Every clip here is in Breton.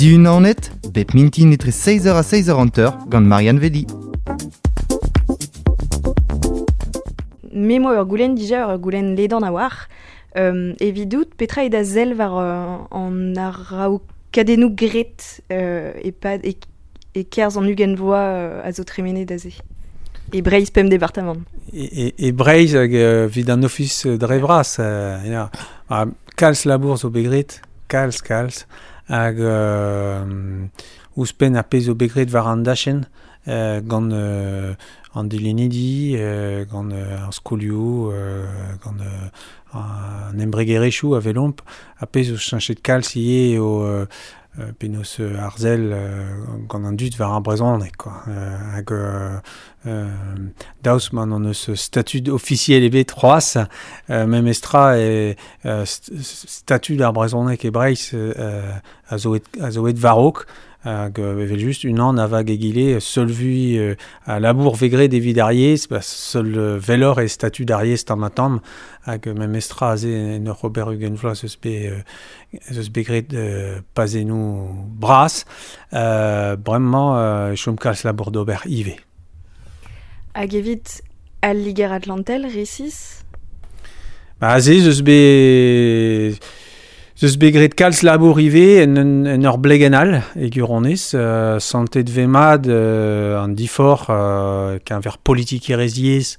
Diunanet, bep mintin etre 6h ha 6h50 gant Marianne Vedi. Me moa ur goulenn dija, ur goulenn ledan a-walc'h. Euh, evidout, petra eo da sell war euh, an araokadennoù graet euh, e-pad e, e-kerzh an 20 vloaz euh, a zo tremenet aze? E Breizh pemp departamant. E, e, e Breizh hag evit an ofis dre vras, euh, ya. Ha kalz labour zo bet graet, kalz, kalz, hag euh, ouzhpenn ar pezh zo bet graet war an dachenn euh, gant euh, an dilennidi, euh, gant euh, ar skolioù, euh, gant euh, an embregerezhioù a welomp, ar pezh zo cheñchet kalz ivez eo euh, penaos arzel gant an dud war ar brezhoneg quoi. Hag daoust ma n'hon eus statud ofisiel ebet c'hoazh, memestra e statud ar brezhoneg e Breizh a zo a zo aet war-raok hag evel-just unan a vag egile seul vui a labour vez graet evit ar yezh, ba seul welloc'h eo statud ar yezh tamm-ha-tamm hag memestra aze en ur ober 20 vloaz eus bet ez eus bet graet pazennoù bras. Bremañ e chom kalz labour d'ober ivez. Hag evit al Liger-Atlantel, resis? Ba, aze ez eus bet ez eus bet graet kalz labour ivez en, un, en ur blegenn all e gwirionez. Santet vez mat an diforc'h keñver politikerezh yezh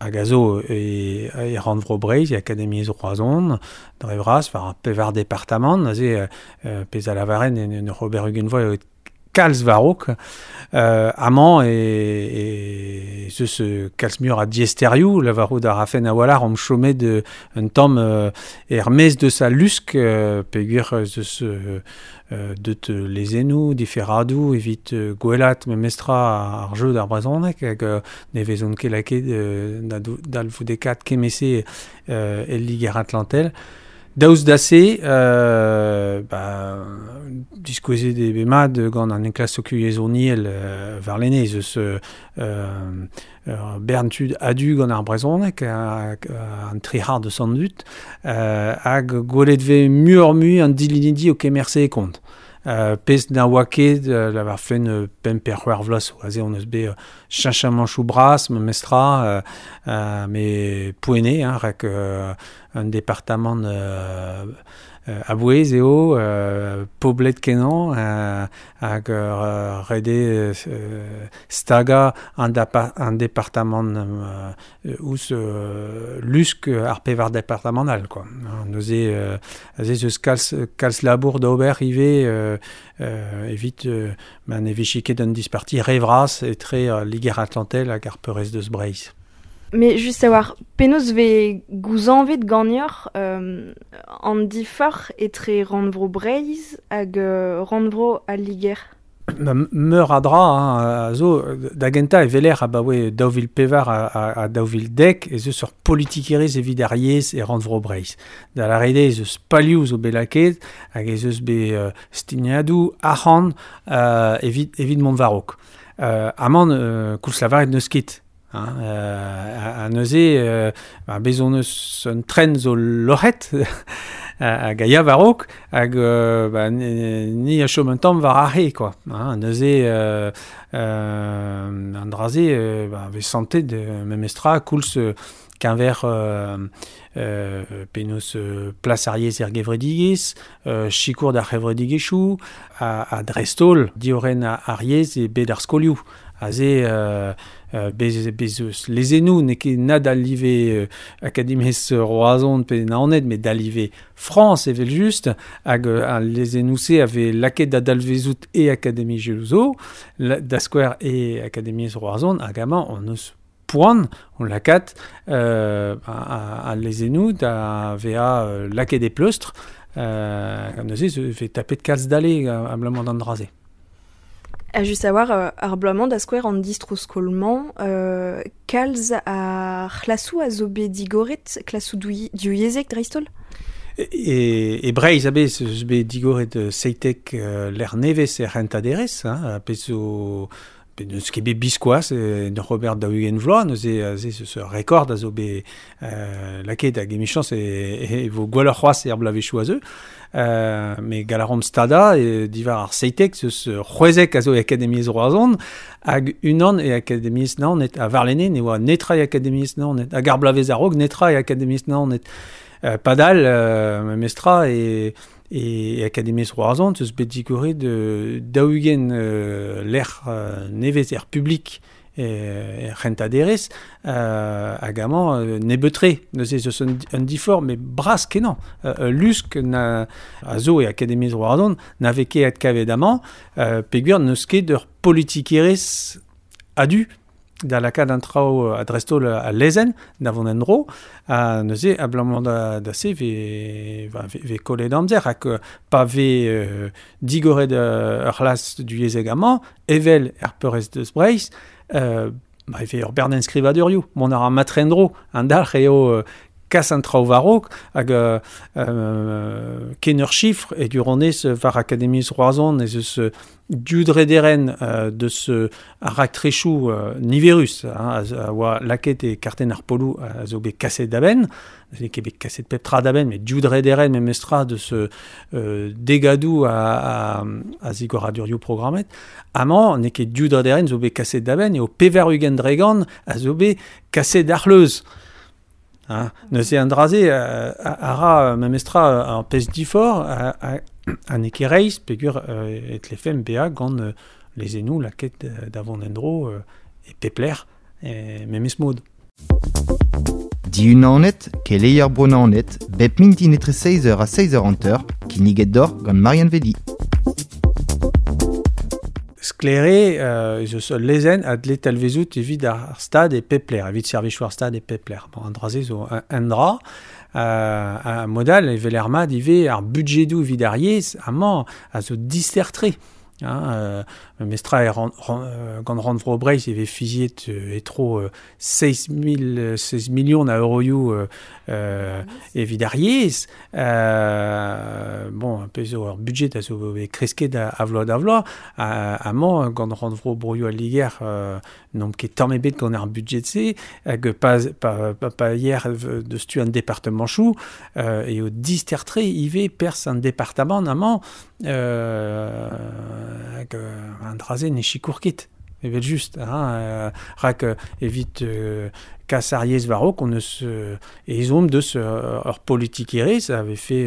hag a zo e, e rannvro Breizh, e Akademiezh Roazhon, dre vras, war ar pevar departamant, aze pezh a lavaren en, en ur ober 20 vloaz eo kalz war-raok. Amañ e, ez eus kalz muioc'h a diaesterioù, lavarout a rafen a-walc'h omp chomet un tamm er-maez deus al lusk, peogwir ez eus deut lezennoù, diferadoù evit gwellaat memestra ar jeu d'ar brezhoneg hag ne vezont ket lakaet da dalvoudekaat kement-se el Liger-Atlantel. Daoust da se, ba, diskouezet eo bet mat gant an enklask sokial warlene ez eus ur bern tud a-du gant ar brezhoneg, an tri c'hard eus an dud, hag gwelet vez muioc'h-mui an dilennidi o kemer se e kont. Pezh na oa ket, lavarfen, pemp pe c'hwec'h vloaz zo. Aze hon eus bet cheñchamanchoù bras memestra, met poent eo, hein, rak un departamant a-bouez eo, poblet-kenañ hag ret eo stagañ an departamant ouzh lusk ar pevar departamant all quoi. Neuze aze ez eus kalz, kalz labour d'ober ivez evit ma ne vije ket un disparti re vras etre Liger-Atlantel hag ar peurrest deus Breizh. Mais just a-walc'h, penaos vez gouzañvet ganeoc'h an diforc'h etre rannvro Breizh hag rannvro al Liger? Meur a dra hein, a zo. Da gentañ e weler abaoe 2004 ha 2010 ez eus ur politikerezh evit ar yezh e rannvro Breizh. Da lâret eo ez eus palioù zo bet lakaet hag ez eus bet stignadoù arc'hant evit, evit mont war-raok. Amañ, koulz lavaret n'eus ket. Hein, ha neuze, ba, bez hon eus un tren zo loc'het hag a ya war-raok hag ba, ni a chom un tamm war ar c'hae quoi. Hein, neuze an dra-se ba, vez santet memestra koulz keñver penaos plas ar yezh er gevredigezh, sikour d'ar c'hevredigezhioù ha dreist-holl diorren ar yezh e bed ar skolioù. Aze, bez, bez eus lezennoù, n'eo ket na da live Akademiezh Roazhon pe Naoned, met da live Frañs evel-just, hag al lezennoù-se a vez lakaet da dalvezout e akademiezhioù zo, da skouer e Akademiezh Roazhon, hag amañ hon eus poan o lakaat al lezennoù da vezañ lakaet e pleustr, neuze e vez tapet kalz dale abalamour d'an dra-se. Ha just a-walc'h, ar bloaz-mañ da skouer an distro-skol-mañ, kalz a c'hlasoù a zo bet digoret, klasoù divyezhek dreist-holl? E, e Breizh a-bezh eus bet digoret 17 lec'h nevez er c'hentañ derez, hein, pezh zo Pe neus ket bet biskoazh en ur ober 40 vloaz, neuze aze zeus ur rekord a zo bet lakaet hag emichañs e vo gwelloc'h c'hoazh er bloavezhioù a zeu. Me gall a ran stadañ e diwar ar 17 zeus 16 a zo e Akademiezh Roazhon hag unan e Akademiezh Naoned. Ha warlene ne oa netra e Akademiezh Naoned. Hag ar bloavezh a-raok netra e Akademiezh Naoned. Padal, memestra e e Akademiezh Roazhon zeus bet digoret 40 lec'h nevez er publik er c'hentañ-derez hag amañ nebeut-tre. Neuze ez eus un diforc'h met bras-kenañ. Lusk na, a zo e Akademiezh Roazhon na vez ket adkavet amañ peogwir n'eus ket ur politikerezh a-du da lakaat an traoù a-dreist-holl al lezenn da vont en-dro. Ha neuze, abalamour da se, ve kollet amzer hag pa vez digoret ur c'hlas duyezhek amañ, evel er peurrest deus Breizh, ba e vez ur bern enskrivadurioù. Mont a ra matre en-dro. An dalc'h eo kas an traoù war-raok hag ken ur chifr e gwirionez war Akademiezh Roazhon ez eus div drederenn deus ar raktresoù niverus hein, a oa lakaet e kartenn ar poloù a zo bet kaset da benn. N'eo ket bet kaset pep tra da benn, met div drederenn memestra deus degadoù a zigoradurioù programmet. Amañ, n'eo ket div drederenn zo bet kaset da benn, eo 80% a zo bet kaset d'ar c'hleuz. Hein. Neuze an dra-se a ra memestra ar pezh diforc'h ha n'eo ket reizh peogwir e tlefemp bezañ gant lezennoù lakaet da vont en-dro e pep lec'h memes mod. Diunanet, keleier Bro-Naoned, bep mintin etre 6h ha 6h50, kinniget deoc'h gant Marianne Vedi. Sklaer eo ez eus ul lezenn a dle talvezout evit ar stad e pep lec'h, evit servijoù ar stad e pep lec'h. Bon, an dra-se zo un dra. Ha mod all e weler mat ivez ar budjedoù evit ar yezh amañ a zo dister-tre. Hein, memestra e gant Rannvro Breizh e vez fiziet e-tro 16 millions a euroioù evit ar yezh. Bon, pezh zo ur budget a zo bet kresket a vloaz da vloaz. Amañ, gant Rannvro Broioù al Liger, n'omp ket tamm ebet gant ar budget-se, hag pa yer deus tu an departemanchoù, eo dister-tre ivez perzh an departamant amañ, hag an dra-se ne sikour ket, evel-just. Hein, rak evit kas ar yezh war-raok, on eus ezhomm deus ur politikerezh a vefe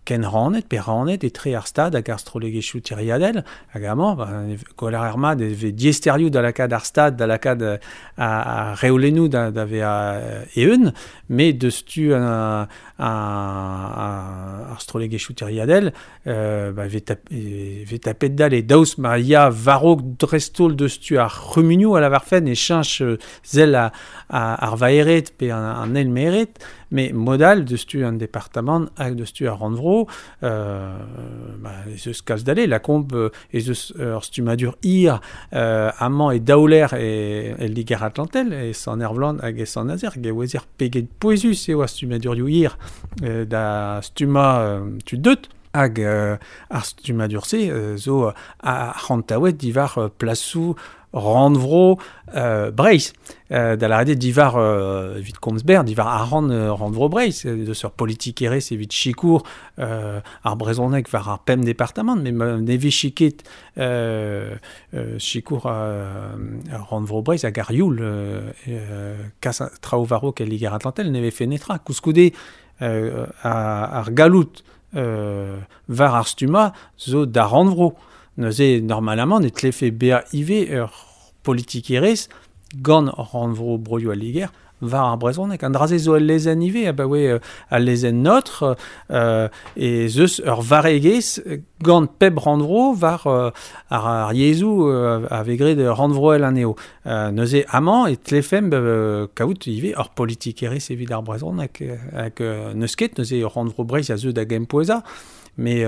kenrannet pe rannet etre ar Stad hag ar strollegezhioù tiriadel. Hag amañ, ba, gweler ar mat e vez diaesterioù da lakaat ar Stad, da lakaat ar reolennoù da vezañ eeun, met deus tu ar strollegezhioù tiriadel, ba, e vez tapet dale. Daoust ma ya war-raok dreist-holl deus tu ar c'humunioù a lavarfen e cheñch sell ar vaered pe an eilmaered, met mod all deus tu an departamant hag deus tu ar rannvro, ba, ez eus kalz dale. Lakaomp ez eus ur stummadur hir amañ e Daouler e Liger-Atlantel, e Sant-Ervlan hag e Sant-Nazer, hag e ouezer pegen pouezus eo ar stummadurioù hir da stummañ tud deut. Hag ar stummadur-se zo arc'hantaouet diwar plasoù rannvro Breizh. Da lâret eo diwar, evit komz berr, diwar arc'hant rannvro Breizh, deus ur politikerezh evit sikour ar brezhoneg war ar pemp departamant, met ma ne vije ket sikour rannvro Breizh hag ar youl kas traoù war-raok el Liger-Atlantel ne vefe netra. Koulskoude ar galloud war ar stummañ zo d'ar rannvro. Neuze, normalamant, e tlefe bezañ ivez ur politikerezh gant rannvro Broioù al Liger war ar brezhoneg. An dra-se zo el lezenn ivez, abaoe al lezenn Notre, ez eus ur varregezh gant pep rannvro war ar yezhoù a vez graet rannvroel anezho. Neuze, amañ e tlefemp kaout ivez ur politikerezh evit ar brezhoneg. Hag n'eus ket, neuze rannvro Breizh a zeu da gempouezañ. Mais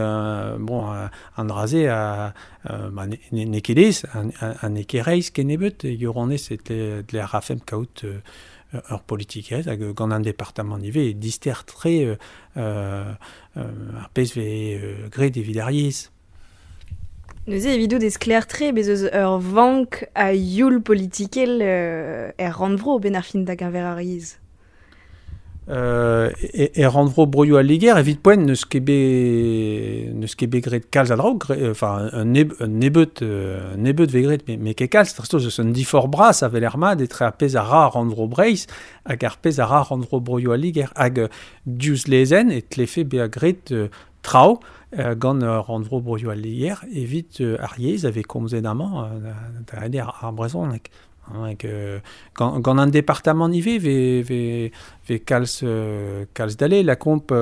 bon, an dra-se ba, n'eo ket aes, ha n'eo ket reizh kennebeut. E gwirionez e tle a rafemp kaout ur politikerezh hag gant an departamant ivez e dister-tre ar pezh vez graet evit ar yezh. Neuze evidout ez klaer-tre bez eus ur vank a youl politikel er rannvro ben ar fin da geñver ar yezh. E rannvro broioù al Liger, evit poent n'eus ket bet n'eus ket bet graet kalz a draoù, enfin un nebeud un nebeud vez graet, met ket kalz, dreist-holl eus un diforc'h bras a weler mat etre ar pezh a ra rannvro Breizh hag ar pezh a ra rannvro broioù al Liger. Hag diouzh lezenn e tlefe bezañ graet traoù gant rannvro broioù al Liger evit ar yezh a vez komzet amañ, da ret eo ar brezhoneg. Hag gant an departamant ivez vez vez vez kalz kalz dale. Lakaomp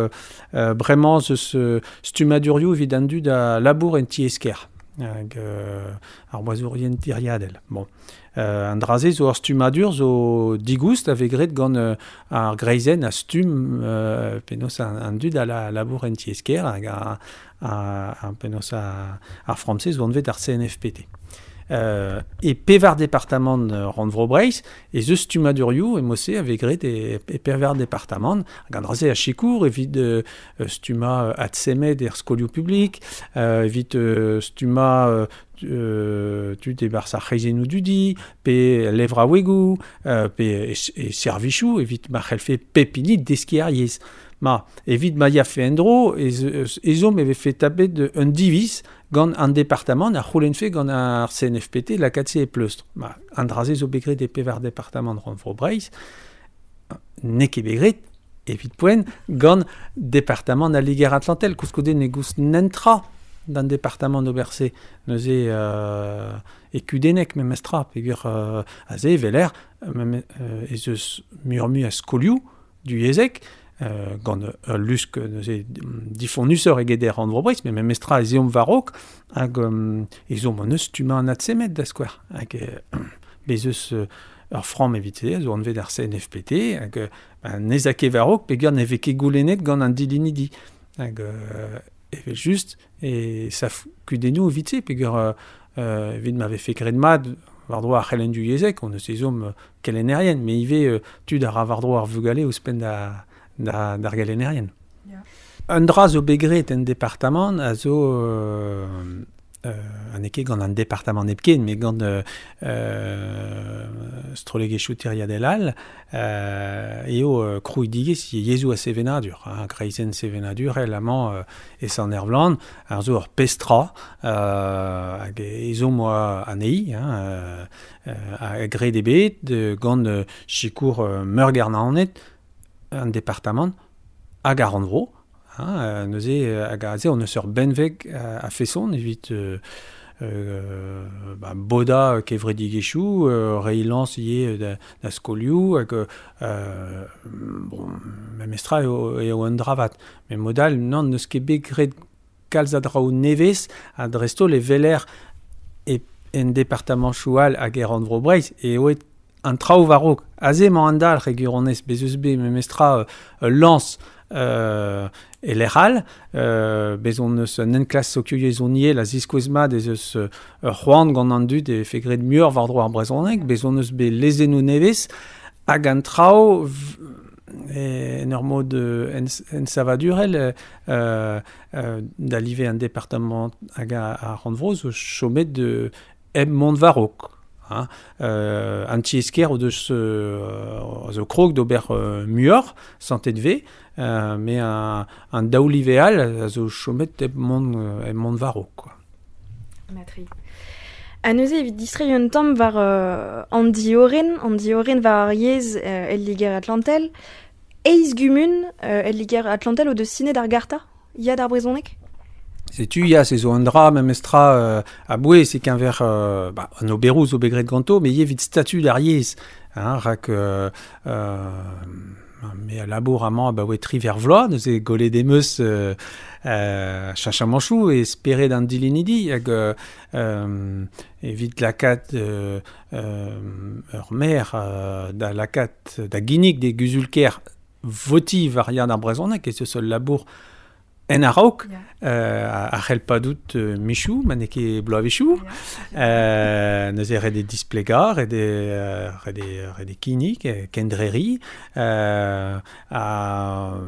bremañ ez eus stummadurioù evit an dud a labour en tiez-kêr hag ar boazourien tiriadel. Bon. An dra-se zo ur stummadur zo digoust a vez graet gant ar greizenn a stumm penaos an dud a labour en tiez-kêr hag a penaos ar framm-se zo anvet ar CNFPT. E pevar departamant rannvro Breizh ez eus stummadurioù e-mod-se a vez graet e pevar departamant hag an dra-se a sikour evit stummañ adsemed er skolioù publik, evit stummañ tud e-barzh ar c'hreizennoù dudi, pe levraouegoù, pe e servijoù evit ma c'hellfe pep hini deskiñ ar yezh. Ma, evit ma yafe en-dro, ezhomm e vefe tapet un diviz gant an departamant a c'houlennfe gant ar CNFPT lakaat se e pleustr. Ma, an dra-se zo bet graet e pevar departamant rannvro Breizh, n'eo ket bet graet, evit poent, gant departamant al Liger-Atlantel. Koulskoude ne goust netra d'an departamant d'ober se. Neuze e kudennek memestra, peogwir aze e weler ez eus muioc'h-mui a skolioù duyezhek, gant ul lusk neuze difonnusoc'h eget er rannvro Breizh, met memestra ez eomp war-raok hag ezhomm hon eus stummañ an adsemed da skouer. Hag bez eus ur framm evit se, zo anvet ar CNFPT, hag n'ez a ket war-raok peogwir ne vez ket goulennet gant an dilennidi. Hag evel-just e sav kudennoù evit se, peogwir evit ma vefe graet mat war-dro ar c'helenn duyezhek, hon eus ezhomm kelennerien, met ivez tud a ra war-dro ar vugale ouzhpenn da d'ar gelennerien. Un dra zo bet graet en departamant a zo ha n'eo ket gant an departamant hepken, met gant strollegezhioù tiriadel all, eo krouidigezh yezhoù ha sevenadur, hein, kreizenn sevenadurel amañ e Sant-Ervlan, ar zo ur pezh tra hag ezhomm oa anezhi, hein, ha graet eo bet gant sikour Meurgêr Naoned, an departamant hag ar rannvro. Hein, neuze hag aze on eus ur benveg a feson evit bodañ kevredigezhioù, reiñ lañs ivez da skolioù hag bon, memestra eo un dra vat. Met mod all, nann, n'eus ket bet graet kalz a draoù nevez ha dreist-holl e weler en departamantoù all hag e rannvro Breizh eo an traoù war-raok. Aze emañ an dalc'h e gwirionez, bez eus bet memestra ul lañs e lec'h all. Bez hon eus un enklask sokioyezhoniel a ziskouez mat ez eus ur c'hoant gant an dud e vefe graet muioc'h war-dro ar brezhoneg. Bez hon eus bet lezennoù nevez hag an traoù en ur mod ensavadurel da live an departamant hag ar rannvro zo chomet hep mont war-raok. Hein. An tiez-kêr o deus zo krog d'ober muioc'h, santet vez, met an daou live all a zo chomet hep mont war-raok, quoi. Matri. Ha neuze evit distreiñ un tamm war an diorren, an diorren war ar yezh el Liger-Atlantel, eizh gumun el Liger-Atlantel o deus sinet ar garta ya d'ar brezhoneg? Setu, ya, se zo un dra memestra a-bouez e-keñver an oberoù zo bet graet ganto, met ivez evit statud ar yezh. Hein, rak me a labour amañ abaoe triwec'h vloaz, neuze gollet em eus cheñchamanchoù e spered an dilennidi hag evit lakaat ur maer da lakaat da ginnig d'e guzul-kêr votiñ war yann ar brezhoneg ez eus ul labour en a-raok, a c'hell padout michoù, ma n'eo ket bloavezhioù. Neuze ret eo displegañ, ret eo kinnig, kendreriñ. Ar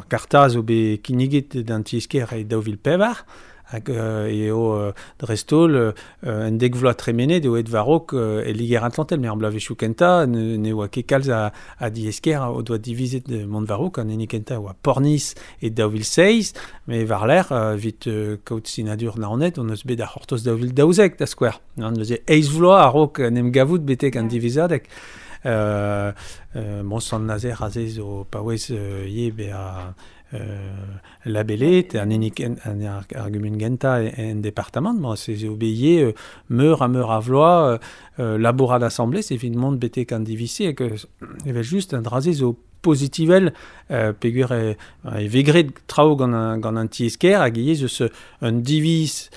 garta zo bet kinniget d'an tiez-kêr e 2004. Hag eo dreist-holl un dek vloaz tremenet eo et varok e Liger Atlantel, me ar bloavezhioù kentañ ne oa ket kalz a diesker o doa divizet mont varok, an hini kentañ oa Pornis e 2006, me war-lerc'h evit kaout sinadur Naoned, on eus bet ar c'hortoz 2012 da skouer. Neuze eizh vloaz a-raok en em gavout betek an divizadeg. Bon, Sant-Nazer aze zo paouez ivez bezañ labelet, an hini an ar gumun gentañ en departamant, ma se zo bet ivez meur ha meur a vloaz labourat asambles evit mont betek an diviz-se hag evel-just an dra-se zo pozitivel peogwir e vez graet traoù gant an tiez-kêr hag ivez eus un diviz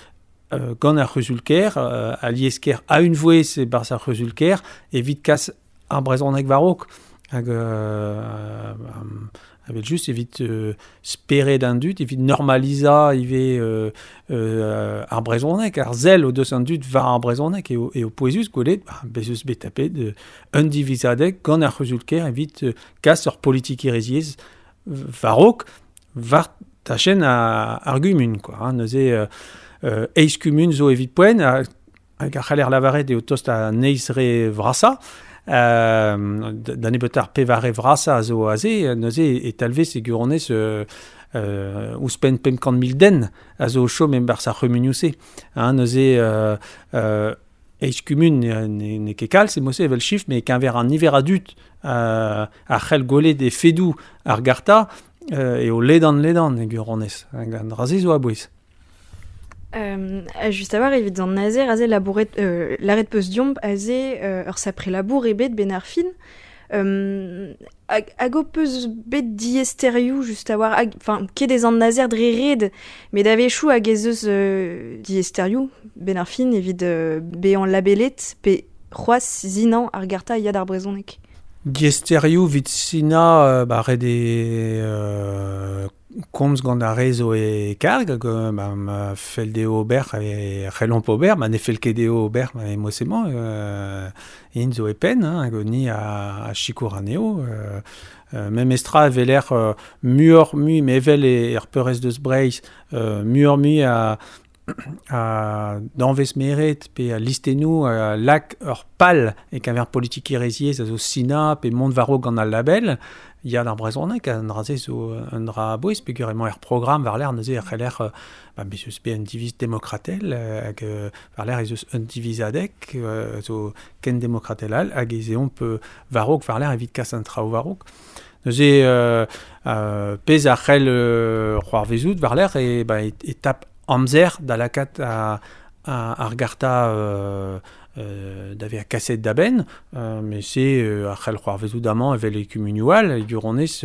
gant ar c'huzul-kêr, alies-kêr a-unvouezh e-barzh ar c'huzul-kêr evit kas ar brezhoneg war-raok. Hag evel-just evit spered an dud, evit normalizañ ivez ar brezhoneg, ar sell o deus an dud war ar brezhoneg eo pouezus gwelet, bez eus bet tapet un divizadeg gant ar c'huzul-kêr evit kas ur politikerezhiezh war-raok war tachenn ar gumun, quoi, hein. Neuze eizh kumun zo evit poent, hag a c'haller lavaret eo tost an eizh re vrasañ. Da nebeut ar pevare vrasañ a zo aze, neuze e talvez e gwirionez ouzhpenn 500 000 den a zo o chom e-barzh ar c'humunioù-se. Hein, neuze eizh kumun n'eo ket kalz e mod-se evel chifr, met e-keñver an niver a dud a c'hell gwelet efedoù ar garta eo ledan-ledan e gwirionez. Hag an dra-se zo a-bouez. Just a-walc'h evit an Nazer aze labouret lâret peus deomp aze ur sapre labour ebet ben ar fin. Hag ho peus bet diaesterioù just a-walc'h, hag, enfin, ket ez an Nazer dre ret, met a-wechoù hag ez eus diaesterioù ben ar fin evit bezañ labelet pe c'hoazh sinañ ar garta ya d'ar brezhoneg. Diaesterioù evit sinañ, ba ret eo komz gant ar re zo e karg, hag ba, ma fell dezho ober e c'hellomp ober, ma ne fell ket dezho ober e mod-se-mañ, int zo e penn, hein, hag ni a sikour anezho. Memestra e weler muioc'h-mui, me evel er peurrest deus Breizh, muioc'h-mui a danvez meret pe a listennoù a lak ur pal e-keñver politikerezhiezh a zo sinañ pe mont war-raok gant al label. Ya d'ar brezhoneg, an dra-se zo un dra a-bouez peogwir emañ er programm war-lerc'h neuze e c'heller ba, bez eus bet un diviz demokratel hag war-lerc'h ez eus un divizadeg zo ken demokratel all hag ez eomp war-raok war-lerc'h evit kas an traoù war-raok. Neuze pezh a c'hell c'hoarvezout war-lerc'h e, ba, e tap amzer da lakaat ar garta da vezañ kaset da benn, met se a c'hell c'hoarvezout amañ evel e kumunioù all, e gwirionez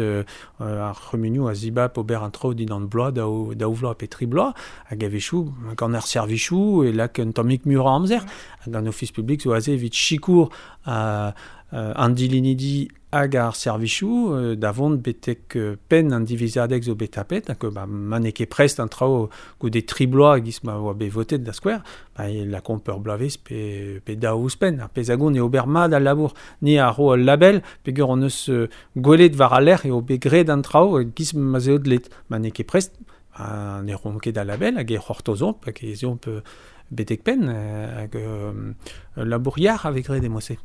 ar c'humunioù a zibab ober an traoù dindan bloaz, daou vloaz pe tri bloaz, hag a-wechoù gant ar servijoù e lak un tammig muioc'h a amzer, hag an ofis publik zo aze evit sikour an dilennidi hag ar servijoù da vont betek penn an divizadeg zo bet tapet, hag ba, ma n'eo ket prest an traoù goude tri bloaz e-giz ma oa bet votet da skouer, ba, e lakaomp ur bloavezh pe daou ouzhpenn. Ar pezh a gont eo ober mat al labour. Ni a ro ul label, peogwir hon eus gwelet war al lec'h eo bet graet an traoù e-giz ma 'z eo dleet. Ma n'eo ket prest, ba, ne roomp ket al label hag e c'hortozomp hag ez eomp betek penn hag ul labour yac'h a vez graet e mod-se.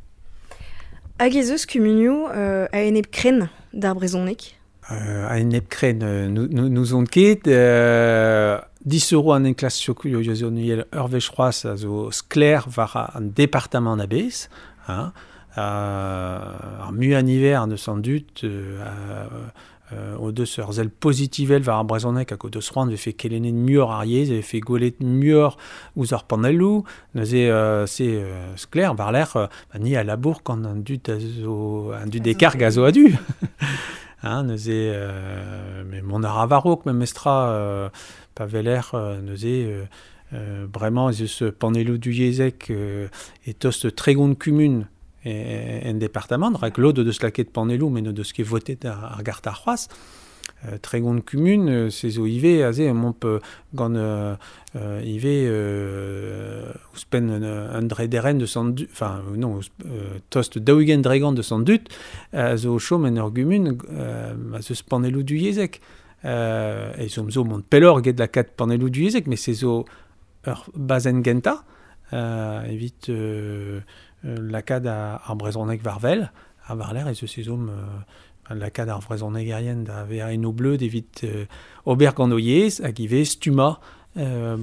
Hag ez eus kumunioù a-enep-krenn d'ar brezhoneg? A-enep-krenn, n'ouzon ket. 10 € an enklask sokial ur wech c'hoazh a zo sklaer war an departamant a-bezh. Hein. Ar muiañ niver eus an dud o deus ur sell pozitivel war ar brezhoneg hag o deus c'hoant e vefe kelennet muioc'h ar yezh, e vefe gwelet muioc'h ouzh ar panelloù. Neuze se sklaer war-lerc'h, ba, ni a labour gant an dud a zo an dud e karg a zo a-du. Hein, neuze met mont a ra war-raok memestra pa weler neuze bremañ ez eus panelloù divyezhek e tost 30 kumun en departamant, rak lod o deus lakaet panelloù met n'o deus ket votet ar garta c'hoazh. 30 kumun, se zo ivez aze emaomp gant ivez ouzhpenn un drederenn deus an dud, enfin non, tost 40% deus an dud a zo o chom en ur gumun ma 'z eus panelloù divyezhek. E zo mont pellor get lakaat panelloù divyezhek, met se zo ur bazenn gentañ evit lakaat ar brezhoneg war wel, ha war-lerc'h ez eus ezhomm lakaat ar vrezhonegerien da vezañ en o bleud evit ober gant o yezh hag ivez stummañ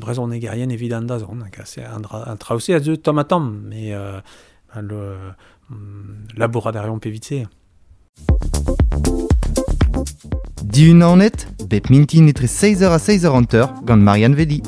brezhonegerien evit an dazont. Hag an, an traoù-se a zeu tamm ha tamm, met le, labourat a reomp evit se. Dihunanet, bep mintin etre 6h ha 6h50 gant Marianne Velli.